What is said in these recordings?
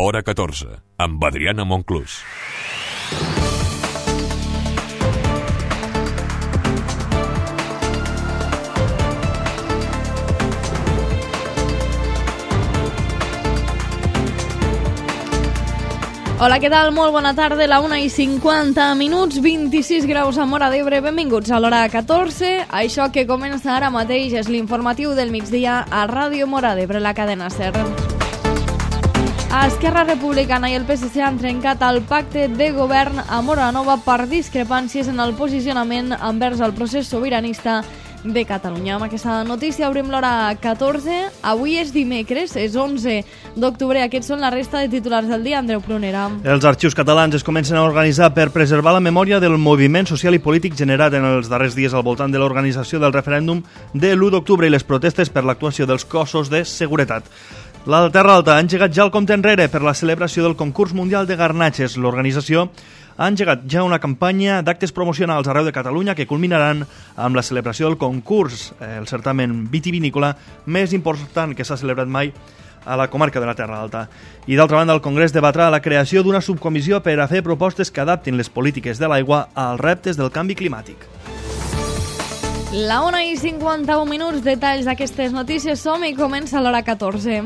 Hora 14, amb Adriana Monclús. Hola, què tal? Molt bona tarda, la 1:50, 26 graus a Móra d'Ebre. Benvinguts a l'hora 14. Això que comença ara mateix és l'informatiu del migdia a Ràdio Móra d'Ebre, la cadena SER. Esquerra Republicana i el PSC han trencat el pacte de govern a Móra Nova per discrepàncies en el posicionament envers el procés sobiranista de Catalunya. Amb aquesta notícia obrim l'hora 14. Avui és dimecres, és 11 d'octubre. Aquests són la resta de titulars del dia. Andreu Prunera. Els arxius catalans es comencen a organitzar per preservar la memòria del moviment social i polític generat en els darrers dies al voltant de l'organització del referèndum de l'1 d'octubre i les protestes per l'actuació dels cossos de seguretat. La Terra Alta ha engegat ja el compte enrere per la celebració del concurs mundial de garnatges. L'organització ha engegat ja una campanya d'actes promocionals arreu de Catalunya que culminaran amb la celebració del concurs, el certamen vitivinícola més important que s'ha celebrat mai a la comarca de la Terra Alta. I d'altra banda, el Congrés debatrà la creació d'una subcomissió per a fer propostes que adaptin les polítiques de l'aigua als reptes del canvi climàtic. La 1:51, detalls d'aquestes notícies. Som i comença l'hora 14.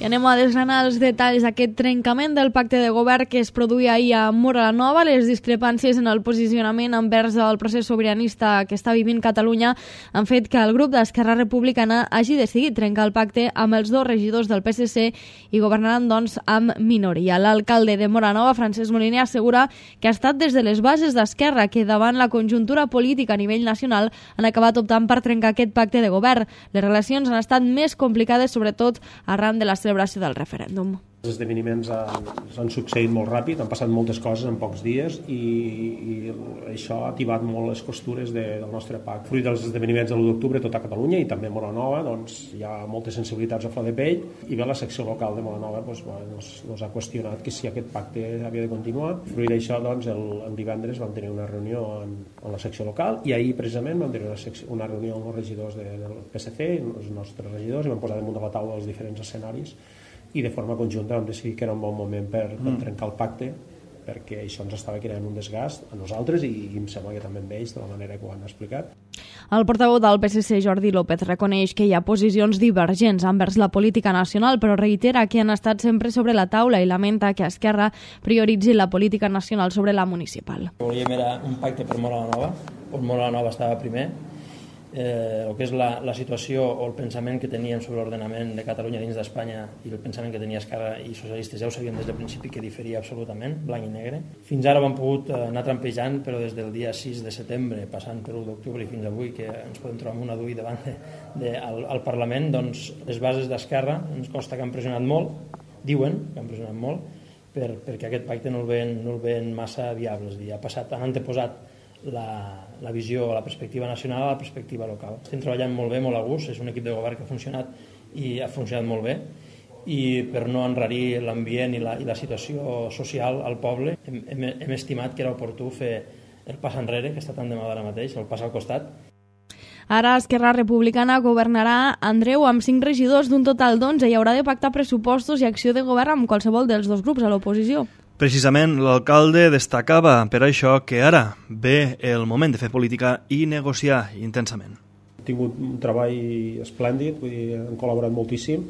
I anem a desgranar els detalls d'aquest trencament del pacte de govern que es produïa ahir a Móra Nova. Les discrepàncies en el posicionament envers el procés sobiranista que està vivint Catalunya han fet que el grup d'Esquerra Republicana hagi decidit trencar el pacte amb els dos regidors del PSC i governaran, doncs, amb minoria. L'alcalde de Móra Nova, Francesc Moliner, assegura que ha estat des de les bases d'Esquerra que davant la conjuntura política a nivell nacional han acabat optant per trencar aquest pacte de govern. Les relacions han estat més complicades, sobretot arran de la celebració del referèndum. Els esdeveniments han succeït molt ràpid, han passat moltes coses en pocs dies i això ha ativat molt les costures del nostre pacte. Fruit dels esdeveniments de l'1 d'octubre tot a Catalunya i també a Móra Nova, doncs, hi ha moltes sensibilitats a flor de pell i bé, la secció local de Móra Nova doncs, ha qüestionat que si aquest pacte havia de continuar. Fruit d'això, doncs, el divendres vam tenir una reunió en la secció local i ahir precisament vam tenir una reunió amb els regidors del PSC, els nostres regidors, i vam posar damunt de la taula els diferents escenaris i de forma conjunta vam decidir que era un bon moment per trencar el pacte perquè això ens estava creant un desgast a nosaltres i em sembla que també amb ells de la manera que ho han explicat. El portaveu del PSC, Jordi López, reconeix que hi ha posicions divergents envers la política nacional, però reitera que han estat sempre sobre la taula i lamenta que Esquerra prioritzi la política nacional sobre la municipal. Volíem era un pacte per Móra Nova, on Móra Nova estava primer. El que és la situació o el pensament que teníem sobre l'ordenament de Catalunya dins d'Espanya i el pensament que tenia Esquerra i socialistes ja ho sabíem des del principi que diferia absolutament, blanc i negre. Fins ara ho hem pogut anar trampejant, però des del dia 6 de setembre, passant per l'1 d'octubre i fins avui, que ens podem trobar amb una d'ull davant al Parlament, doncs les bases d'Esquerra ens costa que han pressionat molt, diuen que han pressionat molt, perquè aquest pacte no el veien massa viable. És a dir, han anteposat la visió, la perspectiva nacional a la perspectiva local. Estem treballant molt bé, molt a gust, és un equip de govern que ha funcionat i ha funcionat molt bé i per no enrarir l'ambient i la situació social al poble hem estimat que era oportú fer el pas enrere, que està tan de moda ara mateix, el pas al costat. Ara Esquerra Republicana governarà, Andreu, amb 5 regidors d'un total d'11 i haurà de pactar pressupostos i acció de govern amb qualsevol dels dos grups a l'oposició. Precisament l'alcalde destacava per això que ara ve el moment de fer política i negociar intensament. Hem tingut un treball esplèndid, vull dir, hem col·laborat moltíssim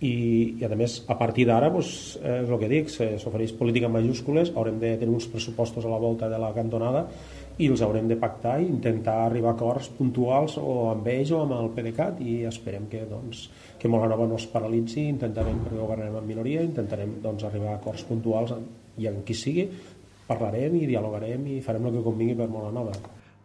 i a més, a partir d'ara, és el que dic, s'ofereix política en majúscules, haurem de tenir uns pressupostos a la volta de la cantonada i els haurem de pactar i intentar arribar a acords puntuals o amb ells o amb el PDeCAT i esperem que Móra Nova no es paralitzi, intentarem, perquè governarem en minoria, intentarem arribar a acords puntuals i amb qui sigui, parlarem i dialogarem i farem el que convingui per Móra Nova.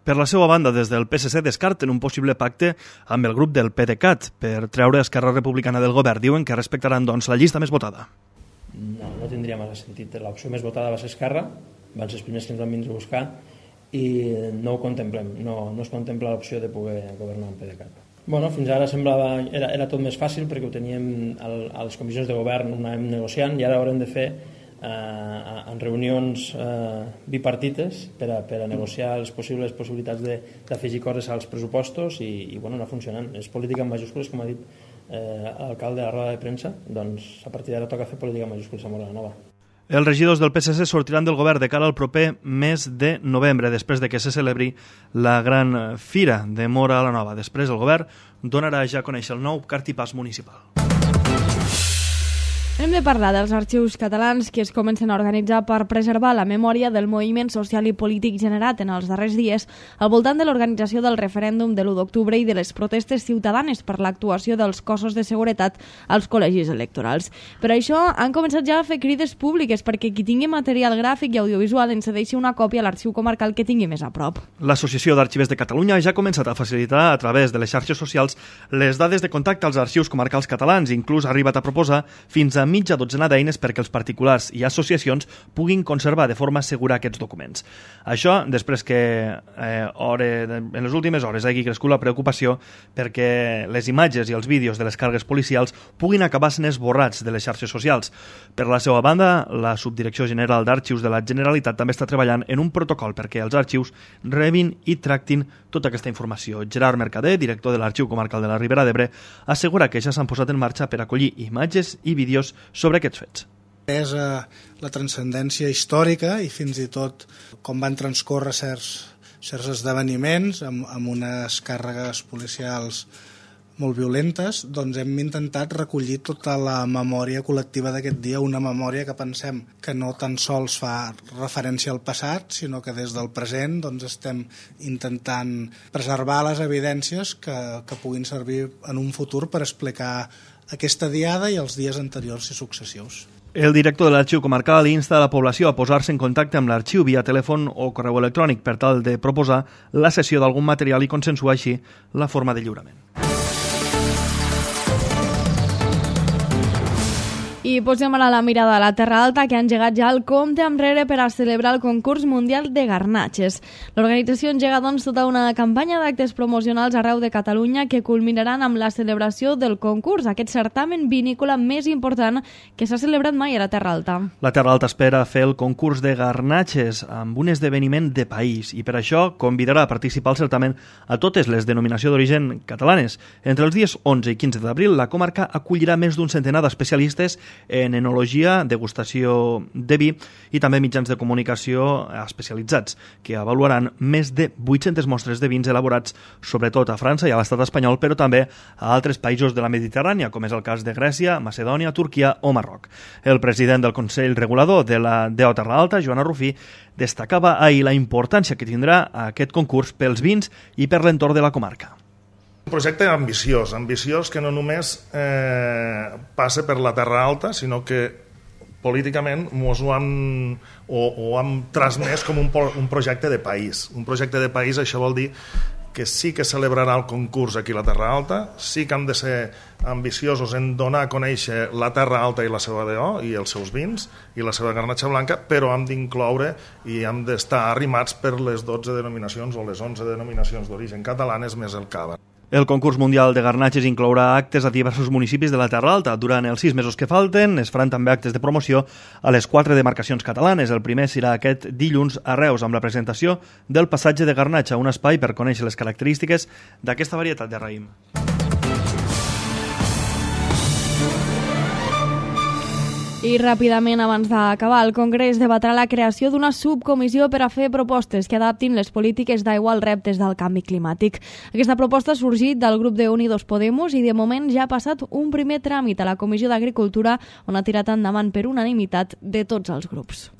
Per la seva banda, des del PSC descarten un possible pacte amb el grup del PDeCAT per treure Esquerra Republicana del govern. Diuen que respectaran, doncs, la llista més votada. No tindria massa sentit. L'opció més votada va ser Esquerra, van ser els primers que ens van vindre a buscar i no ho contemplem. No es contempla l'opció de poder governar amb PDeCAT. Fins ara semblava era tot més fàcil perquè ho teníem a les comissions de govern, ho anàvem negociant i ara haurem de fer en reunions bipartites per a negociar les possibilitats d'afegir coses als pressupostos i anar funcionant. És política en majúscules, com ha dit l'alcalde a la roda de premsa, doncs a partir d'ara toca fer política en majúscules a Móra la Nova. Els regidors del PSC sortiran del govern de cara al proper mes de novembre, després de que se celebri la gran fira de Móra la Nova. Després el govern donarà ja a conèixer el nou cartipàs municipal. Hem de parlar dels arxius catalans que es comencen a organitzar per preservar la memòria del moviment social i polític generat en els darrers dies al voltant de l'organització del referèndum de l'1 d'octubre i de les protestes ciutadanes per l'actuació dels cossos de seguretat als col·legis electorals. Per això han començat ja a fer crides públiques perquè qui tingui material gràfic i audiovisual en cedeixi una còpia a l'arxiu comarcal que tingui més a prop. L'Associació d'Arxivers de Catalunya ja ha començat a facilitar a través de les xarxes socials les dades de contacte als arxius comarcals catalans, inclús ha arribat a proposar fins a mitja dotzena d'eines perquè els particulars i associacions puguin conservar de forma segura aquests documents. Això després que en les últimes hores hagi crescut la preocupació perquè les imatges i els vídeos de les càrregues policials puguin acabar sent esborrats de les xarxes socials. Per la seva banda, la Subdirecció General d'Arxius de la Generalitat també està treballant en un protocol perquè els arxius rebin i tractin tota aquesta informació. Gerard Mercader, director de l'Arxiu Comarcal de la Ribera d'Ebre, assegura que ja s'han posat en marxa per acollir imatges i vídeos sobre aquests fets. És la transcendència històrica i fins i tot com van transcórrer certs esdeveniments amb unes càrregues policials molt violentes, doncs hem intentat recollir tota la memòria col·lectiva d'aquest dia, una memòria que pensem que no tan sols fa referència al passat, sinó que des del present doncs estem intentant preservar les evidències que puguin servir en un futur per explicar aquesta diada i els dies anteriors i successius. El director de l'Arxiu Comarcal insta a la població a posar-se en contacte amb l'arxiu via telèfon o correu electrònic per tal de proposar la cessió d'algun material i consensuar així la forma de lliurament. I posem ara la mirada a la Terra Alta, que ha engegat ja el compte enrere per a celebrar el concurs mundial de garnatxes. L'organització engega doncs tota una campanya d'actes promocionals arreu de Catalunya que culminaran amb la celebració del concurs, aquest certamen vinícola més important que s'ha celebrat mai a la Terra Alta. La Terra Alta espera fer el concurs de garnatxes amb un esdeveniment de país i per això convidarà a participar al certamen a totes les denominacions d'origen catalanes. Entre els dies 11 i 15 d'abril, la comarca acollirà més d'un centenar d'especialistes en enologia, degustació de vi i també mitjans de comunicació especialitzats, que avaluaran més de 800 mostres de vins elaborats sobretot a França i a l'estat espanyol, però també a altres països de la Mediterrània, com és el cas de Grècia, Macedònia, Turquia o Marroc. El president del Consell Regulador de la DO Terra Alta, Joana Rufí, destacava ahir la importància que tindrà aquest concurs pels vins i per l'entorn de la comarca. Un projecte ambiciós que no només passa per la Terra Alta, sinó que políticament ho hem transmès com un projecte de país. Un projecte de país, això vol dir que sí que celebrarà el concurs aquí a la Terra Alta, sí que hem de ser ambiciosos en donar a conèixer la Terra Alta i la seva DO i els seus vins i la seva garnatxa blanca, però hem d'incloure i hem d'estar arrimats per les 12 denominacions o les 11 denominacions d'origen catalanes més el cava. El concurs mundial de garnatxes inclourà actes a diversos municipis de la Terra Alta. Durant els 6 mesos que falten es faran també actes de promoció a les 4 demarcacions catalanes. El primer serà aquest dilluns a Reus amb la presentació del passatge de garnatxa, un espai per conèixer les característiques d'aquesta varietat de raïm. I ràpidament, abans d'acabar, el Congrés debatrà la creació d'una subcomissió per a fer propostes que adaptin les polítiques d'aigua als reptes del canvi climàtic. Aquesta proposta ha sorgit del grup de Unidos Podemos i de moment ja ha passat un primer tràmit a la Comissió d'Agricultura on ha tirat endavant per unanimitat de tots els grups.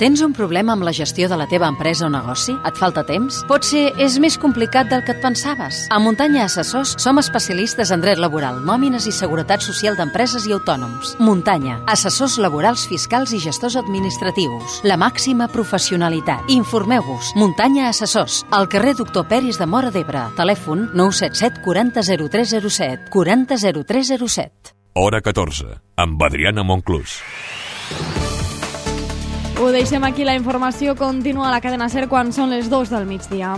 Tens un problema amb la gestió de la teva empresa o negoci? Et falta temps? Potser és més complicat del que et pensaves? A Muntanya Assessors som especialistes en dret laboral, nòmines i seguretat social d'empreses i autònoms. Muntanya, assessors laborals, fiscals i gestors administratius. La màxima professionalitat. Informeu-vos. Muntanya Assessors, al carrer Doctor Peris de Móra d'Ebre. Telèfon 977 40 0307. 40 0307. Hora 14, amb Adriana Monclús. Ho deixem aquí, la informació continua a la cadena SER quan són les 2 del migdia.